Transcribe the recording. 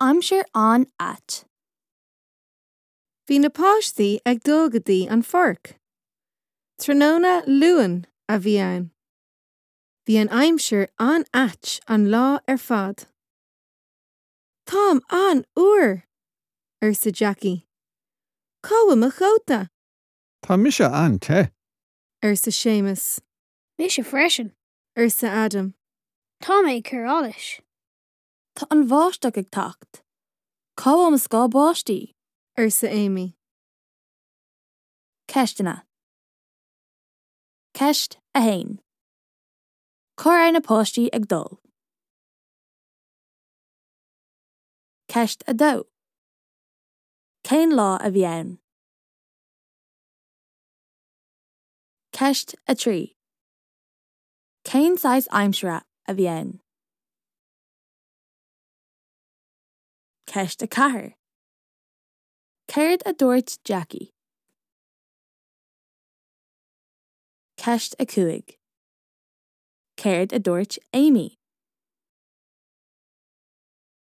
Aimsir an-ait. Bhí na páistí ag dul go dtí an pháirc. Tráthnóna Luain a bhí ann. Bhí an aimsir an-ait an lá ar fad. Táim an-fhuar! arsa Jackie. Cá bhfuil mo chóta? Tá mise an-te. arsa Séamus. Mise freisin. arsa Adam. Tá mé ag cur allais. Tá an bháisteach ag teacht. Cá bhfuil mo scáth báistí? arsa Amy. Ceisteanna. Ceist 1. Cá raibh na páistí ag dul? Ceist 2. Cén lá a bhí ann? Ceist 3. Cén saghas aimsire a bhí ann? Ceist 4. Céard a dúirt Jackie? Ceist 5. Céard a dúirt Amy?